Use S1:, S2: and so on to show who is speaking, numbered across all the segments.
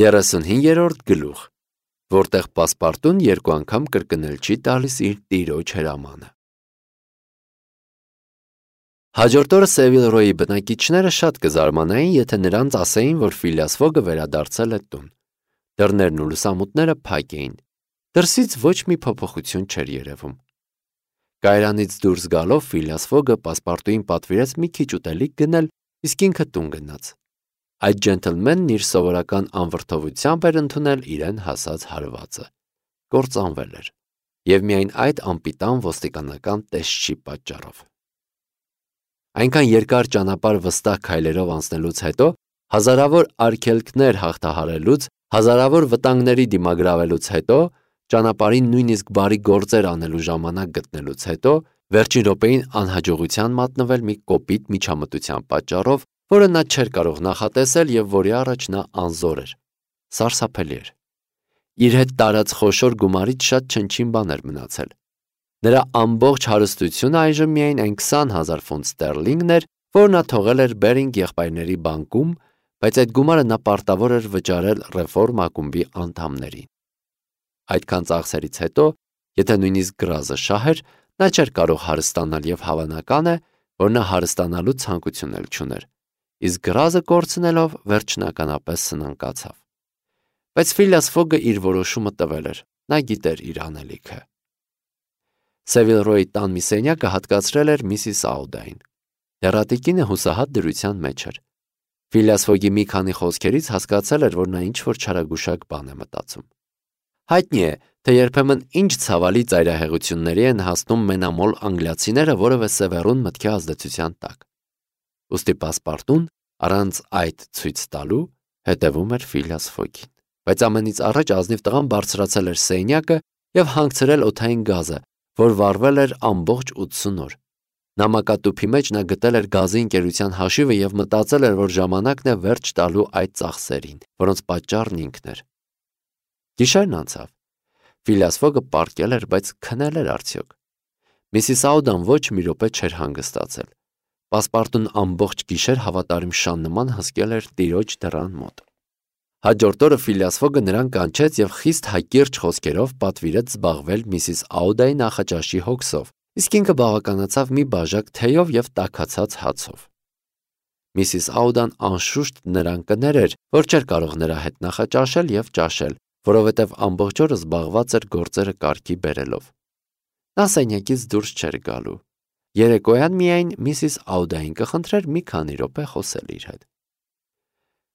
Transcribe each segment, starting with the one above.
S1: 35-րդ գլուխ, որտեղ պասպարտուն երկու անգամ կրկնել չի տալիս իր տիրոջ հրամանը։ Հաջորդ օրը Սևիլրոյի բնակիչները շատ կզարմանային, եթե նրանց ասեին, որ Ֆիլիաս Ֆոգը վերադարձել է տուն։ Դռներն ու լուսամուտները փակ էին։ Դրսից ոչ մի փոփոխություն չէր երևում։ Կայարանից դուրս գալով Ֆիլիաս Ֆոգը պասպարտուին պատվիրեց մի քիչ ուտելիք գնել, իսկ ինքը տուն գնաց։ Այդ ջենտլմենն իր սովորական անվրդովությամբ էր ընդունել իրեն հասած հարվածը։ Կործանվել էր, եւ միայն այդ անպիտան ոստիկանական տեսչի պատճառով։ Այնքան երկար ճանապարհ վստահ քայլերով անցնելուց հետո, հազարավոր արգելքներ հաղթահարելուց, հազարավոր վտանգների դիմագրավելուց հետո, ճանապարհին նույնիսկ բարի գործեր անելու ժամանակ գտնելուց հետո, վերջին րոպեին անհաջողության մատնվել մի կոպիտ միջամտության պատճառով, որը նա չէր կարող նախատեսել եւ որի առաջ նա անզոր էր։ Սարսափելի էր։ Իր հետ տարած խոշոր գումարից շատ չնչին բան էր մնացել։ Նրա ամբողջ հարստությունը այժմ միայն այն 20,000 ֆունտ ստերլինգն էր, որ նա թողել էր Բերինգ եղբայրների բանկում, բայց այդ գումարը նա պարտավոր էր վճարել ռեֆորմ ակումբի անդամներին։ Այդքան ծախսերից հետո, եթե նույնիսկ գրազը շահեր, նա չէր կարող հարստանալ եւ հավանական է, որ նա հարստանալու ցանկություն էլ չուներ, իսկ գրազը կորցնելով վերջնականապես սնանկացավ։ Բայց Ֆիլիաս Ֆոգը իր որոշումը տվել էր, նա գիտեր իր անելիքը։ Սևիլրոյի տան մի սենյակը հատկացրել էր Միսիս Աուդային։ Դեռատիկինը հուսահատ դրության մեջ էր։ Ֆիլիաս Ֆոգի մի քանի խոսքերից հասկացել էր, որ նա ինչ-որ չարագուշակ բան է մտածում։ Հայտնի է, թե երբեմն ինչ ցավալի ծայրահեղությունների են հասնում մենամոլ անգլիացիները որևէ սևեռուն մտքի ազդեցության տակ։ Ուստի պասպարտուն, առանց այդ ցույց տալու, հետևում էր Ֆիլիաս Ֆոգին։ Բայց ամենից առաջ ազնիվ տղան բարձրացել էր սենյակը եւ հանգցրել օդային գազը, որ վառվել էր ամբողջ 80 օր։ Նամակատուփի մեջ նա գտել էր գազի ընկերության հաշիվը եւ մտածել էր, որ ժամանակն է վերջ տալու այդ ծախսերին, որոնց պատճառն ինքն էր։ Գիշերն անցավ։ Ֆիլիաս Ֆոգը պառկել էր, բայց քնել էր արդյոք։ Միսիս Աուդան ոչ մի րոպե չէր հանգստացել։ Պասպարտուն ամբողջ գիշեր հավատարիմ շան նման հսկել էր տիրոջ դռան մոտ։ Հաջորդ օրը Ֆիլիաս Ֆոգը նրան կանչեց եւ խիստ հակիրճ խոսքերով պատվիրեց զբաղվել Միսիս Աուդայի նախաճաշի հոգսով, իսկ ինքը բավականացավ մի բաժակ թեյով եւ տաքացած հացով։ Միսիս Աուդան անշուշտ նրան կներեր, որ չէր կարող նրա հետ նախաճաշել եւ ճաշել, որովհետեւ ամբողջ օրը զբաղված էր գործերը կարգի բերելով։ Նա սենյակից դուրս չէր գալու։ Երեկոյան միայն Միսիս Աուդային կխնդրեր մի քանի րոպե խոսել իր հետ։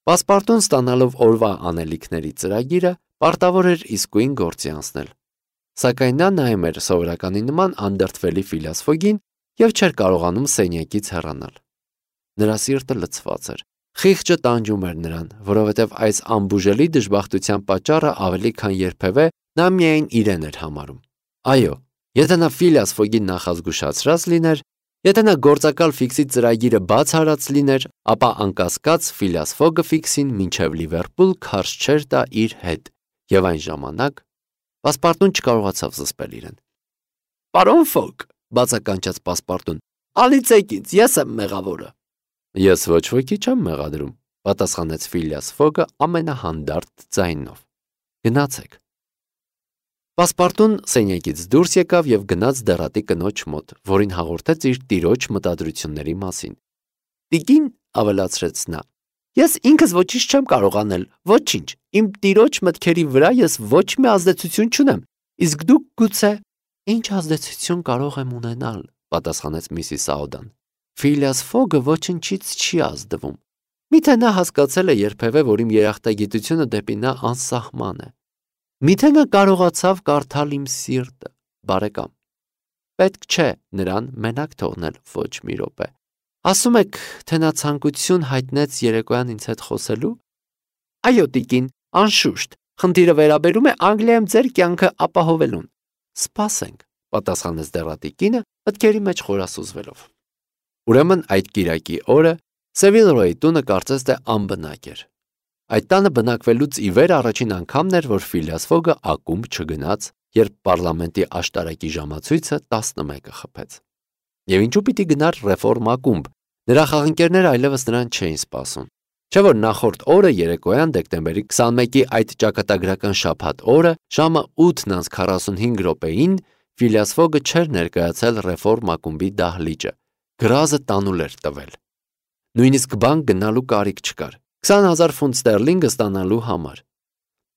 S1: Պասպարտուն ստանալով օրվա անելիքների ծրագիրը, պարտավոր էր իսկույն գործի անցնել։ Սակայն նա նայում էր սովորականի նման անդրդվելի Ֆիլիաս Ֆոգին եւ չէր կարողանում սենյակից հեռանալ։ Նրա սիրտը լցված էր։ Խիղճը տանջում էր նրան, որովհետև այս անբուժելի դժբախտության պատճառը ավելի քան երբևէ նա միայն իրեն էր համարում։ Այո, եթե նա Ֆիլիաս Ֆոգին նախազգուշացրած լիներ, եթե նա գործակալ ֆիքսի ծրագիրը բաց հարած լիներ, ապա անկասկած Ֆիլիաս Ֆոգը ֆիքսին մինչև Լիվերպուլ քարշ չէր տա իր հետ, եւ այն ժամանակ Պասպարտուն չկարողացավ զսպել իրեն։ «Պարոն Ֆոգ», բացականչեց Պասպարտուն, «Ալիցեք ինձ, ես եմ մեղավորը»։ «Ես ոչ ոքի չեմ մեղադրում», պատասխանեց Ֆիլիաս Ֆոգը ամենահանդարտ ձայնով։ «Գնացեք»։ Պասպարտուն սենյակից դուրս եկավ եւ գնաց դեռատի կնոջ մոտ, որին հաղորդեց իր տիրոջ մտադրությունների մասին։ «Տիկին», ավելացրեց նա, «ես ինքս ոչինչ չեմ կարող անել, ոչինչ, իմ տիրոջ մտքերի վրա ես ոչ մի ազդեցություն չունեմ, իսկ դուք գուցե...» «Ինչ ազդեցություն կարող եմ ունենալ», պատասխանեց Միսիս Աուդան։ «Ֆիլիաս Ֆոգը ոչնչից չի ազդվում։ Միթե նա հասկացել է երբևէ, որ իմ երախտագիտությունը դեպի նա անսահման է։ Միթե նա կարողացավ կարդալ իմ սիրտը, բարեկամ։ Պետք չէ նրան մենակ թողնել ոչ մի րոպե։ Ասում եք, թե նա ցանկություն հայտնեց երեկոյան ինձ հետ խոսելու։ Այո, տիկին, անշուշտ, խնդիրը վերաբերում է Անգլիայում ձեր կյանքը ապահովելուն։ Սպասենք, պատասխանեց դեռատիկինը, մտքերի մեջ խորասուզվելով։ Ուրեմն այդ կիրակի օրը Սևիլրոյի տունը կարծես թե անբնակ էր։ Այդ տանը բնակվելուց ի վեր առաջին անգամն էր, որ Ֆիլիաս Ֆոգը ակումբ չգնաց, երբ պարլամենտի աշտարակի ժամացույցը 11-ը խփեց։ Եվ ինչու պիտի գնար ռեֆորմ ակումբ։ Նրա խաղընկերները այլևս նրան չէին սպասում։ Չէ որ նախորդ օրը երեկոյան դեկտեմբերի 21-ի այդ ճակատագրական շաբաթ օրը ժամը 8:45 Ֆիլիաս Ֆոգը չէր ներկայացել ռեֆորմ ակումբի դահլիճը, գրազը տանուլ էր տվել։ Նույնիսկ բանկ գնալու կարիք չկար, 20,000 ֆունտ ստերլինգը ստանալու համար։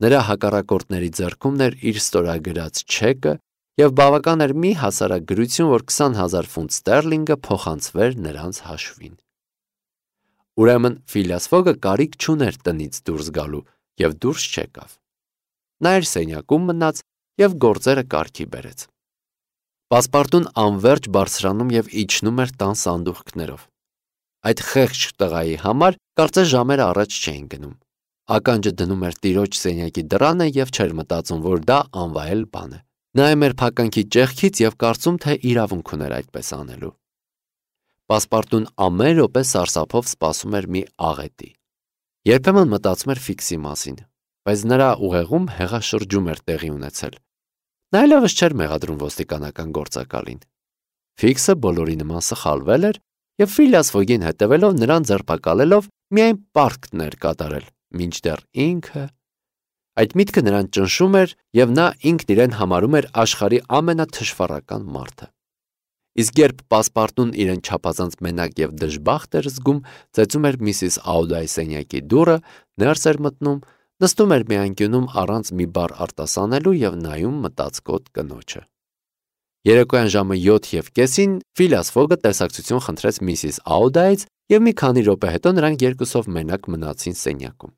S1: Նրա հակառակորդների ձեռքումն էր իր ստորագրած չեկը և բավական էր մի հասարակ գրություն, որ 20,000 ֆունտ ստերլինգը փոխանցվեր նրանց հաշվին։ Ուրեմն Ֆիլիաս Ֆոգը կարիք չուներ տնից դուրս գալու և դուրս չեկավ։ Նա իր սենյակում մնաց և գործերը կարգի բերեց։ Պասպարտուն անվերջ բարձրանում և իջնում էր տան սանդուղքներով։ Այդ խեղճ տղայի համար կարծես ժամեր առաջ չէին գնում։ Ականջը դնում էր տիրոջ սենյակի դռանը և չէր մտածում, որ դա անվայել բան է։ Նայում էր փականքի ճեղքից և կարծում, թե իրավունք ուներ այդպես անելու։ Պասպարտուն ամեն րոպե սարսափով սպասում էր մի աղետի։ Երբեմն մտածում էր Ֆիքսի մասին, բայց նրա ուղեղում հեղաշրջում էր տեղի ունեցել։ Նա այլևս չէր մեղադրում ոստիկանական գործակալին։ Ֆիքսը բոլորի նման սխալվել էր և Ֆիլիաս Ֆոգին հետևելով նրան ձերբակալելով միայն պարտքն էր կատարել, մինչդեռ ինքը… Այդ միտքը նրան ճնշում էր և նա ինքն իրեն համարում էր աշխարհի ամենաթշվառական մարդը։ Իսկ երբ Պասպարտուն իրեն չափազանց մենակ և դժբախտ էր զգում, ծեծում էր Միսիս Աուդայի սենյակի դուռը, ներս էր մտնում, նստում էր մի անկյունում առանց մի բառ արտասանելու և նայում մտածկոտ կնոջը։ Երեկոյան ժամը 7:30 Ֆիլիաս Ֆոգը տեսակցություն խնդրեց Միսիս Աուդայից և մի քանի րոպե հետո նրանք երկուսով մենակ մնացին սենյակում։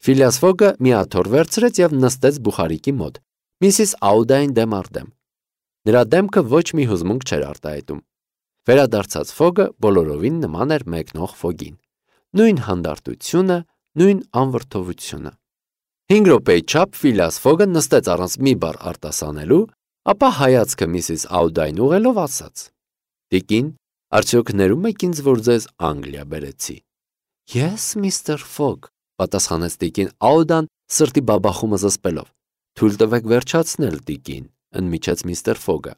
S1: Ֆիլիաս Ֆոգը մի աթոռ վերցրեց և նստեց բուխարիկի մոտ, Միսիս Աուդային դեմ առ դեմ։ Նրա դեմքը ոչ մի հուզմունք չէր արտահայտում։ Վերադարձած Ֆոգը բոլորովին նման էր մեկնող Ֆոգին։ Նույն հանդարտությունը, նույն անվրդովությունը։ 5 րոպեի չափ Ֆիլիաս Ֆոգը նստեց առանց մի բառ արտասանելու, ապա հայացքը Միսիս Աուդային ուղղելով ասաց. «Տիկին, արդյոք ներում եք ինձ, որ ձեզ Անգլիա բերեցի»։ «Ես, միստր Ֆոգ», պատասխանեց տիկին Աուդան սրտի բաբախումը զսպելով։ «Թույլ տվեք վերջացնել, տիկին», ընդմիջեց միստր Ֆոգը։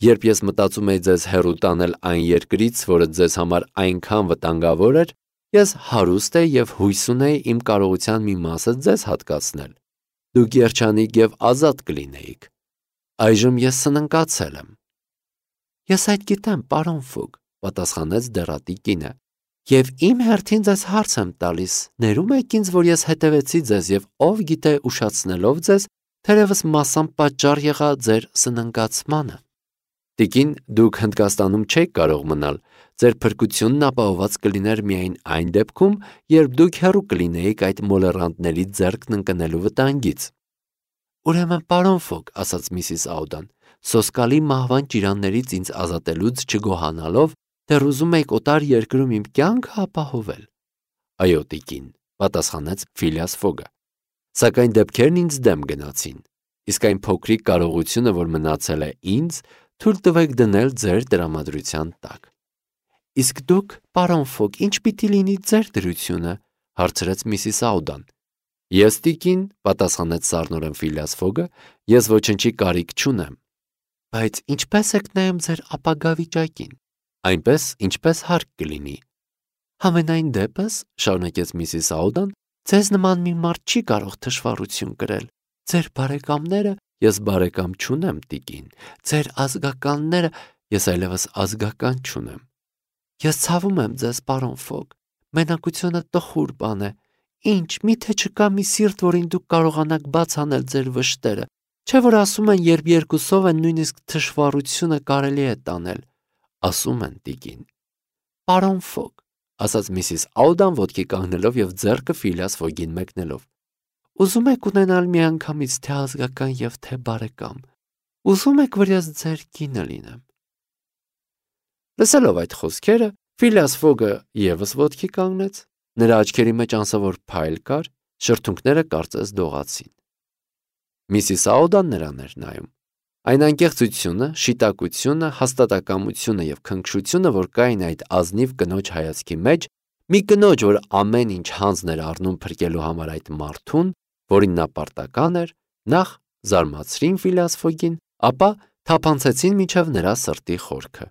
S1: «Երբ ես մտածում էի ձեզ հեռու տանել այն երկրից, որը ձեզ համար այնքան վտանգավոր էր, ես հարուստ էի և հույս ունեի իմ կարողության մի մասը ձեզ հատկացնել։ Դուք երջանիկ և ազատ կլինեիք։ Այժմ ես սնանկացել եմ»։ «Ես այդ գիտեմ, պարոն Ֆոգ», պատասխանեց դեռատի կինը, «և իմ հերթին ձեզ հարց եմ տալիս, ներում եք ինձ, որ ես հետևեցի ձեզ և ով գիտե ուշացնելով ձեզ, թերևս մասամբ պատճառ եղա ձեր սնանկացմանը»։ «Տիկին, դուք Հնդկաստանում չէիք կարող մնալ, ձեր փրկությունն ապահովված կլիներ միայն այն դեպքում, երբ դուք հեռու կլինեիք այդ մոլեռանդների ձեռքն ընկնելու վտանգից»։ «Ուրեմն, պարոն Ֆոգ», ասաց Միսիս Աուդան, «սոսկալի մահվան ճիրաններից ինձ ազատելուց չգոհանալով, դեռ ուզում եք օտար երկրում իմ կյանքը ապահովել»։ «Այո, տիկին», պատասխանեց Ֆիլիաս Ֆոգը, «սակայն դեպքերն ինձ դեմ գնացին, իսկ այն փոքրիկ կարողությունը, որ մնացել է ինձ, թույլ տվեք դնել ձեր տրամադրության տակ»։ «Իսկ դուք, պարոն Ֆոգ, ինչ պիտի լինի ձեր դրությունը», հարցրեց Միսիս Աուդան։ «Ես, տիկին», պատասխանեց սառնորեն Ֆիլիաս Ֆոգը, «ես ոչնչի կարիք չունեմ»։ «Բայց ինչպե՞ս եք նայում ձեր ապագա վիճակին»։ «Այնպես, ինչպես հարկ կլինի»։ «Համենայն դեպս», շարունակեց Միսիս Աուդան, «ձեզ նման մի մարդ չի կարող թշվառություն կրել։ Ձեր բարեկամները… Ես բարեկամ չունեմ, տիկին։ Ձեր ազգականները… Ես այլևս ազգական չունեմ։ Ես ցավում եմ ձեզ, պարոն Ֆոգ։ Մենակությունը տխուր բան է։ Ինչ, միթե չկա մի սիրտ, որին դուք կարողանաք բաց անել ձեր վշտերը։ Չէ՞ որ ասում են, երբ երկուսով են, նույնիսկ թշվառությունը կարելի է տանել։ Ասում են, տիկին։ «Պարոն Ֆոգ», ասաց Միսիս Աուդան ոտքի կանգնելով և ձեռքը Ֆիլիաս Ֆոգին մեկնելով, «ուզում եք ունենալ միանգամից թե ազգական և թե բարեկամ։ Ուզում եք, որ ես ձեր կինը լինեմ»։ Լսելով այդ խոսքերը, Ֆիլիաս Ֆոգը ևս ոտքի կանգնեց։ Նրա աչքերի մեջ անսովոր փայլ կար, շրթունքները կարծես դողացին։ Միսիս Աուդան նրան էր նայում։ Այն անկեղծությունը, շիտակությունը, հաստատակամությունը և քնքշությունը, որ կային այդ ազնիվ կնոջ հայացքի մեջ, մի կնոջ, որ ամեն ինչ հանձն էր առնում փրկելու համար այդ մարդուն, որին նա պարտական էր, նախ զարմացրին Ֆիլիաս Ֆոգին, ապա թափանցեցին մինչև նրա սրտի խորքը։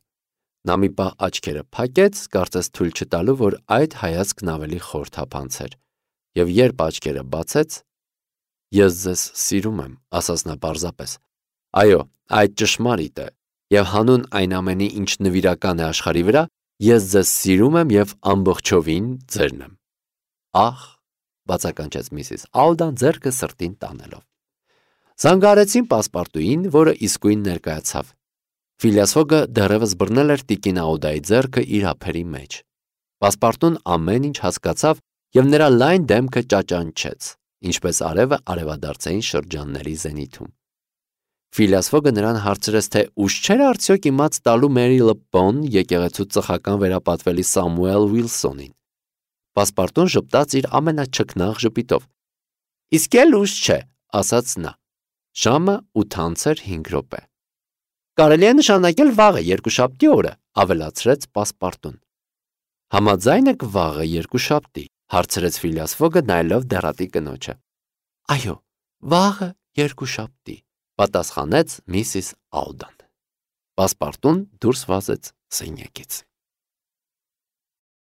S1: Նա մի պահ աչքերը փակեց, կարծես թույլ չտալու, որ այդ հայացքն ավելի խոր թափանցեր, եւ երբ աչքերը բացեց, «Ես ձեզ սիրում եմ», ասաց նա պարզապես։ Այո, այդ ճշմարիտ է, եւ հանուն այն ամենի, ինչ նվիրական է աշխարհի վրա, ես ձեզ սիրում եմ եւ ամբողջովին ձերն եմ։ Ահ, բացականչեց Միսիս Աուդան ձեռքը սրտին տանելով։ Զանգահարեցին պասպարտուին, որը իսկույն ներկայացավ։ Ֆիլիաս Ֆոգը դեռևս բռնել էր տիկին Աուդայի ձեռքը իր ափերի մեջ։ Պասպարտուն ամեն ինչ հասկացավ եւ նրա լայն դեմքը ճաճանչեց, ինչպես արևը արևադարձային շրջանների զենիթում։ Ֆիլիաս Ֆոգը նրան հարցրեց, թե ուշ չէր արդյոք իմաց տալու Մերի Լպոն եկեղեցու ծխական վերապատվելի Սամուել Ուիլսոնին։ Պասպարտուն ժպտաց իր ամենաչքնաղ ժպիտով։ Իսկ էլ ուշ չէ, ասաց նա։ Ժամը 8:05 րոպե։ Կարելի է նշանակել վաղը երկուշաբթի օրը, ավելացրեց Պասպարտուն։ Համաձայն եք վաղը երկուշաբթի, հարցրեց Ֆիլիաս Ֆոգը նայելով դեռատի կնոջը։ Այո, վաղը երկուշաբթի, պատասխանեց Միսիս Աուդան։ Պասպարտուն դուրս վազեց սենյակից։